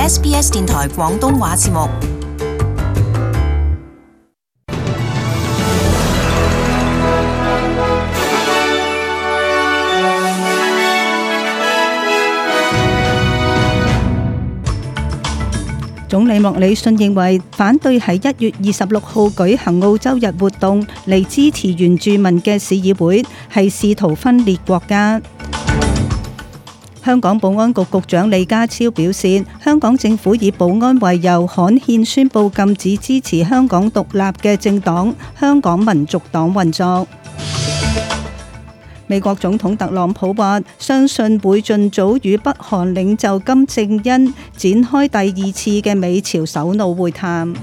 SBS 電台廣東話節目。總理莫里遜認為，反對喺1月26號舉行澳洲日活動嚟支持原住民嘅市議會係試圖分裂國家。香港保安局局長李家超表示，香港政府以保安為由刊憲宣布禁止支持香港獨立嘅政黨香港民族黨運作。美國總統特朗普話，相信會盡早與北韓領袖金正恩展開第二次嘅美朝首腦會談。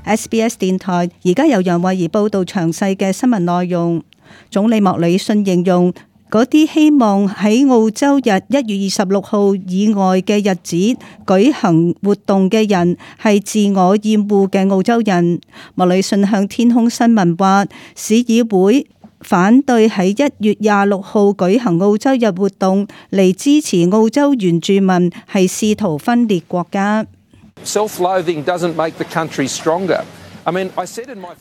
SBS 電台而家由楊慧儀報道詳細嘅新聞內容。總理莫里遜形容嗰啲希望喺澳洲日1月26號以外嘅日子舉行活動嘅人係自我厭惡嘅澳洲人。莫里遜向天空新聞話，市議會反對喺1月26號舉行澳洲日活動嚟支持澳洲原住民係試圖分裂國家。Self-loathing doesn't make the country stronger.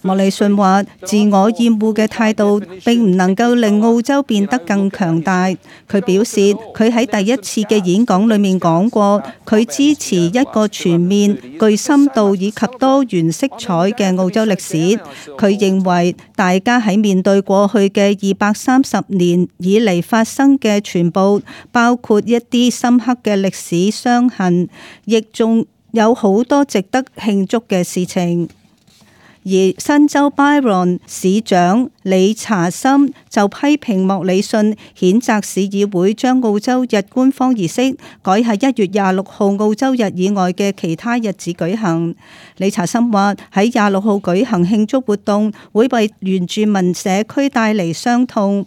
莫里遜話，自我厭惡嘅態度並唔能夠令澳洲變得更強大。佢表示，佢喺第一次嘅演講裏面講過，佢支持一個全面、具深度以及多元色彩嘅澳洲歷史。佢認為大家喺面對過去嘅230年以嚟發生嘅全部，包括一啲深刻嘅歷史傷痕，亦仲有好多值得慶祝嘅事情。而新州 Byron 市長理查森就批評莫里遜譴責市議會將澳洲日官方儀式改喺1月26號澳洲日以外嘅其他日子舉行。理查森話，喺26號舉行慶祝活動會為原住民社區帶嚟傷痛。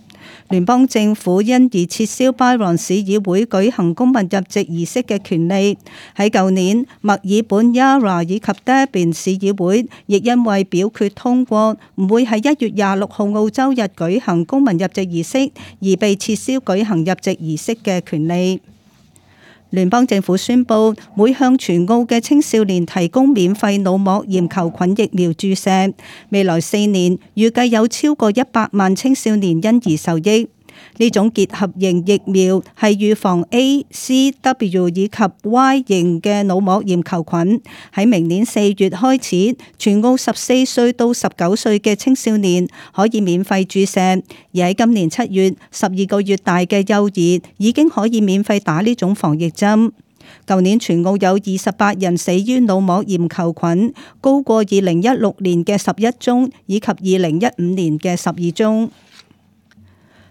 聯邦政府因而撤銷 Byron 市議會舉行公民入籍儀式嘅權利。喺舊年，墨爾本 Yarra 以及 Darwin 市議會亦因為表決通過唔會喺1月26號澳洲日舉行公民入籍儀式，而被撤銷舉行入籍儀式嘅權利。聯邦政府宣布會向全澳嘅青少年提供免費腦膜炎球菌疫苗注射，未來4年預計有超過100萬青少年因而受益。呢種結合型疫苗係預防 A、C、W 以及 Y 型嘅腦膜炎球菌。喺明年4月開始，全澳14歲到19歲嘅青少年可以免費注射，而喺今年7月，12個月大嘅幼兒已經可以免費打呢種防疫針。舊年全澳有28人死於腦膜炎球菌，高過2016年嘅11宗以及2015年嘅12宗。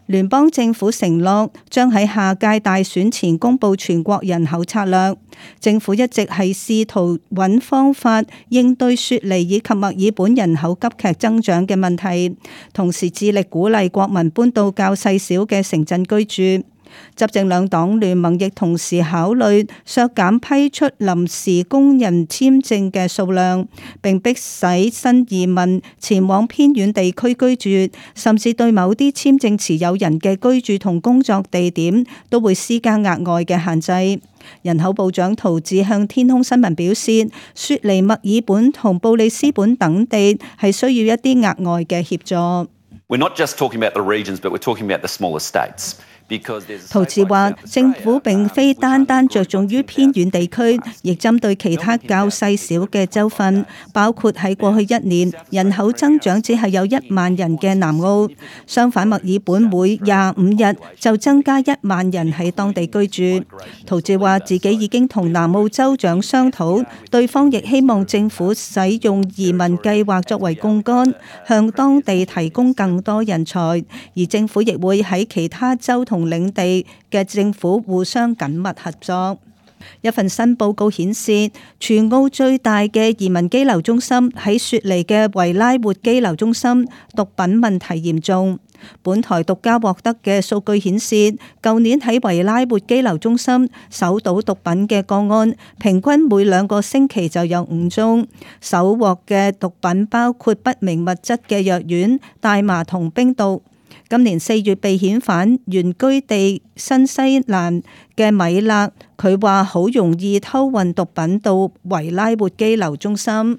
聯邦政府承諾將喺下屆大選前公布全國人口策略。政府一直係試圖揾方法應對雪梨以及墨爾本人口急劇增長嘅問題，同時致力鼓勵國民搬到較細小嘅城鎮居住。執政兩黨聯盟亦同時考慮削減批出臨時工人簽證嘅數量，並迫使新移民前往偏遠地區居住，甚至對某啲簽證持有人嘅居住同工作地點都會施加額外嘅限制。人口部長陶治向天空新聞表示，雪梨、墨爾本同布里斯本等地係需要一啲額外嘅協助。We're not just talking about the regions, but we're talking about the smaller states.陶治話，政府並非單單着重於偏遠地區，亦針對其他較細小嘅州份，包括喺過去1年人口增長只係有1萬人嘅南澳。相反，墨爾本每25日就增加1萬人喺當地居住。陶治話自己已經同南澳州長商討，對方亦希望政府使用移民計劃作為槓桿，向當地提供更多人才，而政府亦會喺其他州同領地嘅政府互相緊密合作。一份新報告顯示，全澳最大嘅移民羈留中心喺雪梨嘅維拉活羈留中心，毒品問題嚴重。本台獨家獲得嘅數據顯示，舊年喺維拉活羈留中心搜到毒品嘅個案，平均每2個星期就有5宗。搜獲嘅毒品包括不明物質嘅藥丸、大麻同冰毒。今年4月被遣返原居地新西蘭嘅米勒，佢話好容易偷運毒品到維拉活羈留中心。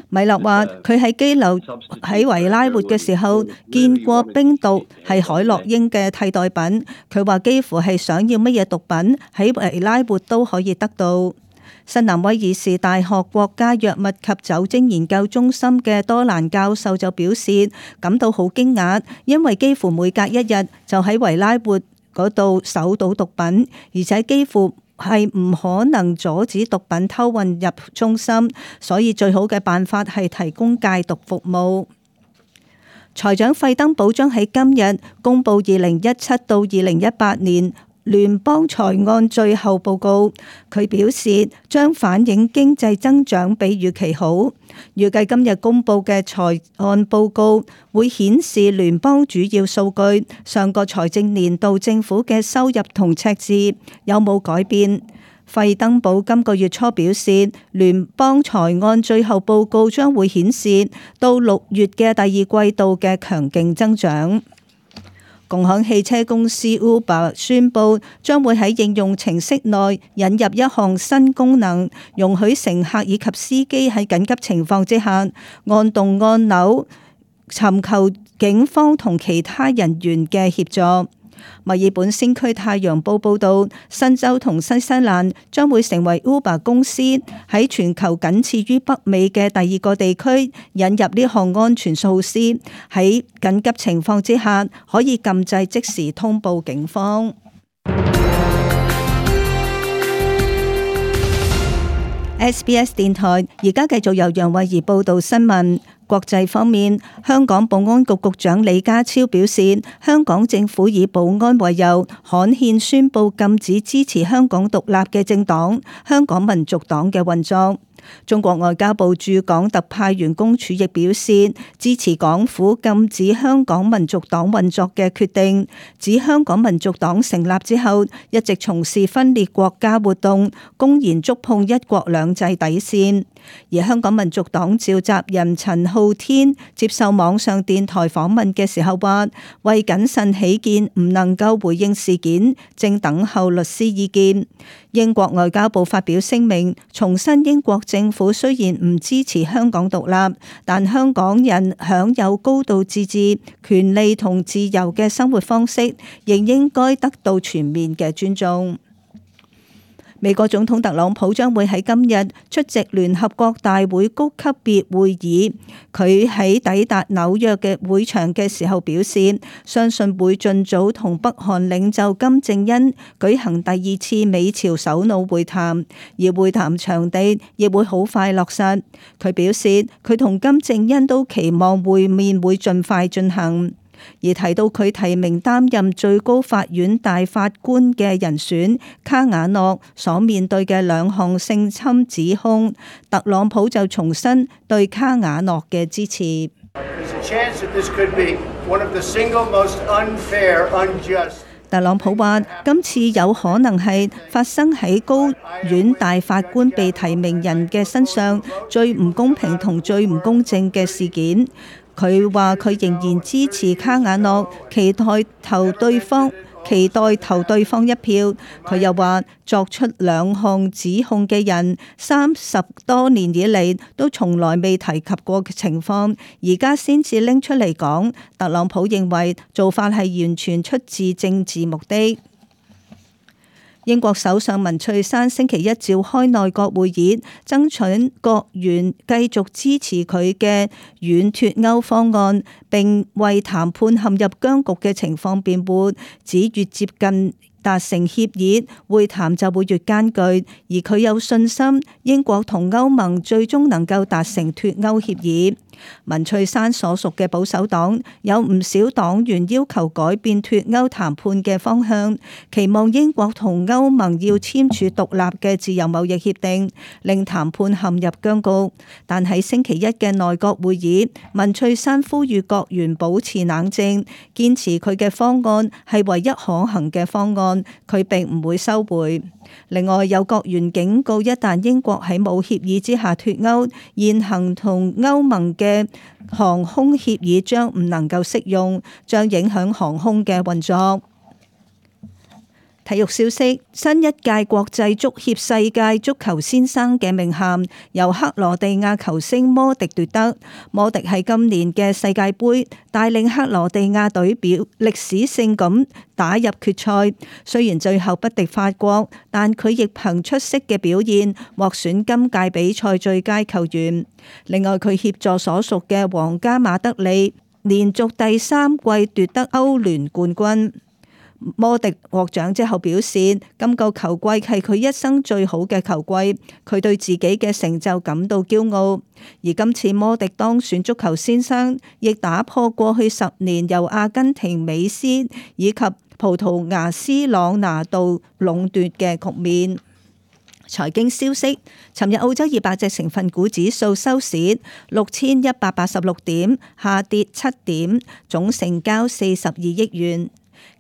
米勒話：佢喺羈留喺維拉活嘅時候，見過冰毒係海洛因嘅替代品。佢話幾乎係想要乜嘢毒品喺維拉活都可以得到。新南威爾士大學國家藥物及酒精研究中心嘅多蘭教授就表示感到好驚訝，因為幾乎每隔一日就喺維拉活嗰度搜到毒品，而且幾乎係唔可能阻止毒品偷運入中心，所以最好嘅辦法係提供戒毒服務。財長費登堡將喺今日公布2017到2018年聯邦財案最後報告，佢表示將反映經濟增長比預期好。預計今日公布嘅財案報告會顯示聯邦主要數據，上個財政年度政府嘅收入同赤字有冇改變。費登堡今個月初表示，聯邦財案最後報告將會顯示到6月嘅第二季度嘅強勁增長。共享汽車公司 Uber 宣布將會喺應用程式內引入一項新功能，容許乘客以及司機喺緊急情況之下按動按鈕，尋求警方同其他人員嘅協助。墨爾本先驅太陽報報道，新州同新西蘭將會成為 Uber 公司喺全球僅次於北美嘅第二個地區引入呢項安全措施，喺緊急情況之下可以禁制即時通報警方。SBS 電台而家繼續由楊慧儀報道新聞。國際方面，香港保安局局長李家超表示，香港政府以保安為由，刊憲宣布禁止支持香港獨立嘅政黨香港民族黨嘅運作。中國外交部駐港特派員公署亦表示支持港府禁止香港民族黨運作嘅決定，指香港民族黨成立之後一直從事分裂國家活動，公然觸碰一國兩制底線。而香港民族黨召集人陳浩天接受網上電台訪問嘅時候話，為謹慎起見唔能夠回應事件，正等候律師意見。英國外交部發表聲明，重申英國政府雖然唔支持香港獨立，但香港人享有高度自治、權利同自由嘅生活方式，仍應該得到全面嘅尊重。美國總統特朗普將會喺今日出席聯合國大會高級別會議。佢喺抵達紐約嘅會場嘅時候表示，相信會盡早同北韓領袖金正恩舉行第2次美朝首腦會談，而會談場地亦會好快落實。佢表示，佢同金正恩都期望會面會盡快進行。而提到佢提名擔任最高法院大法官嘅人選卡瓦諾所面對嘅2項性侵指控，特朗普就重申對卡瓦諾嘅支持。特朗普話：今次有可能係發生喺高院大法官被提名人嘅身上最唔公平同最唔公正嘅事件。佢話佢仍然支持卡瓦諾，期待投對方一票。佢又話作出2項指控嘅人30多年以嚟都從來未提及過嘅情況，而家先至拎出嚟講。特朗普認為做法係完全出自政治目的。英國首相文翠珊星期一召開內閣會議，爭取國員繼續支持佢嘅軟脫歐方案，並為談判陷入僵局嘅情況辯護，指越接近達成協議，會談就會越艱巨，而佢有信心英國同歐盟最終能夠達成脫歐協議。文翠珊所屬嘅保守黨有唔少黨員要求改變脫歐談判嘅方向，期望英國同歐盟要簽署獨立嘅自由貿易協定，令談判陷入僵局。但喺星期一嘅內閣會議，文翠珊呼籲國員保持冷靜，堅持佢嘅方案係唯一可行嘅方案。案，佢並唔會收回。另外，有國員警告，一旦英國喺冇協議之下脫歐，現行同歐盟嘅航空協議將唔能夠適用，將影響航空嘅運作。體育消息：新一屆國際足協世界足球先生嘅名銜由克羅地亞球星摩迪奪得。摩迪喺今年嘅世界盃帶領克羅地亞隊歷史性咁打入決賽，雖然最後不敵法國，但佢亦憑出色嘅表現獲選今屆比賽最佳球員。另外，佢協助所屬嘅皇家馬德里連續第3季奪得歐聯冠軍。摩迪獲獎之後表示，今個球季係佢一生最好嘅球季，佢對自己嘅成就感到驕傲。而今次摩迪當選足球先生，亦打破過去10年由阿根廷美斯以及葡萄牙斯朗拿度壟奪嘅局面。財經消息：尋日澳洲200隻成分股指數收市6186點，下跌7點，總成交42億元。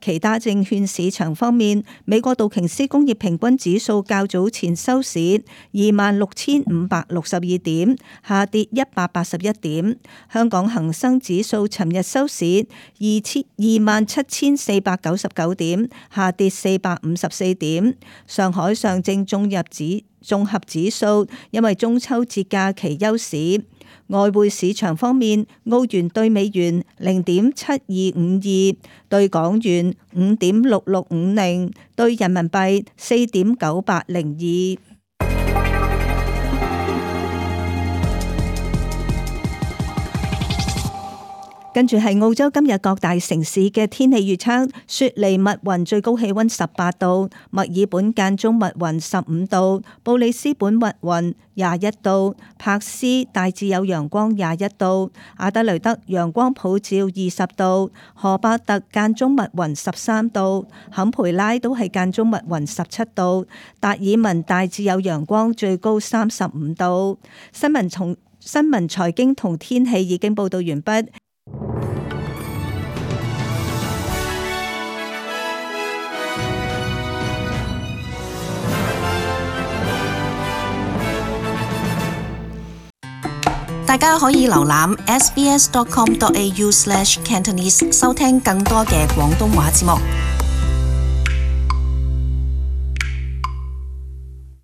其他證券市場方面，美國道瓊斯工業平均指數較早前收市26,562點，下跌181點。香港恒生指數尋日收市27,499點，下跌454點。上海上證綜合指數因為中秋節假期休市。外匯市場方面，澳元對美元0.7252，對港元5.6650，對人民幣4.9802。跟住係澳洲今日各大城市嘅天氣預測：雪梨密雲最高氣溫18度，墨爾本間中密雲15度，布里斯本密雲21度，柏斯大致有陽光21度，阿德雷德陽光普照20度，荷伯特間中密雲13度，坎培拉都係間中密雲17度，達爾文大致有陽光最高35度。新聞財經同天氣已經報道完畢。大家可以瀏覽 sbs.com.au/cantonese 收聽更多嘅廣東話節目。